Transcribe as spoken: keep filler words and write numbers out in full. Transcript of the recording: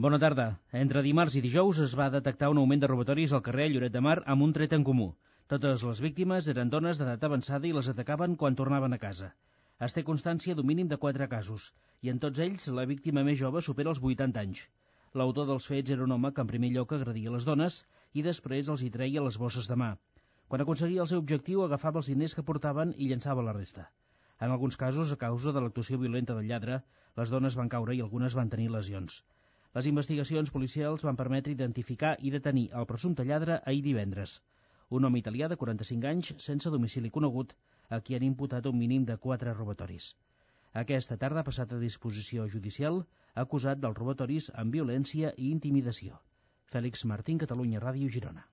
Bona tarda. Entre dimarts i dijous es va detectar un augment de robatoris al carrer Lloret de Mar amb un tret en comú. Totes les víctimes eren dones d'edat avançada i les atacaven quan tornaven a casa. Es té constància d'un mínim de quatre casos, i en tots ells la víctima més jove supera els vuitanta anys. L'autor dels fets era un home que en primer lloc agredia les dones i després els hi treia les bosses de mà. Quan aconseguia el seu objectiu agafava els diners que portaven i llançava la resta. En alguns casos, a causa de l'actuació violenta del lladre, les dones van caure i algunes van tenir lesions. Les investigacions policials van permetre identificar i detenir el presumpte lladre ahir divendres. Un home italià de quaranta-cinc anys, sense domicili conegut, a qui han imputat un mínim de quatre robatoris. Aquesta tarda ha passat a disposició judicial, acusat dels robatoris amb violència i intimidació. Fèlix Martín, Catalunya Ràdio, Girona.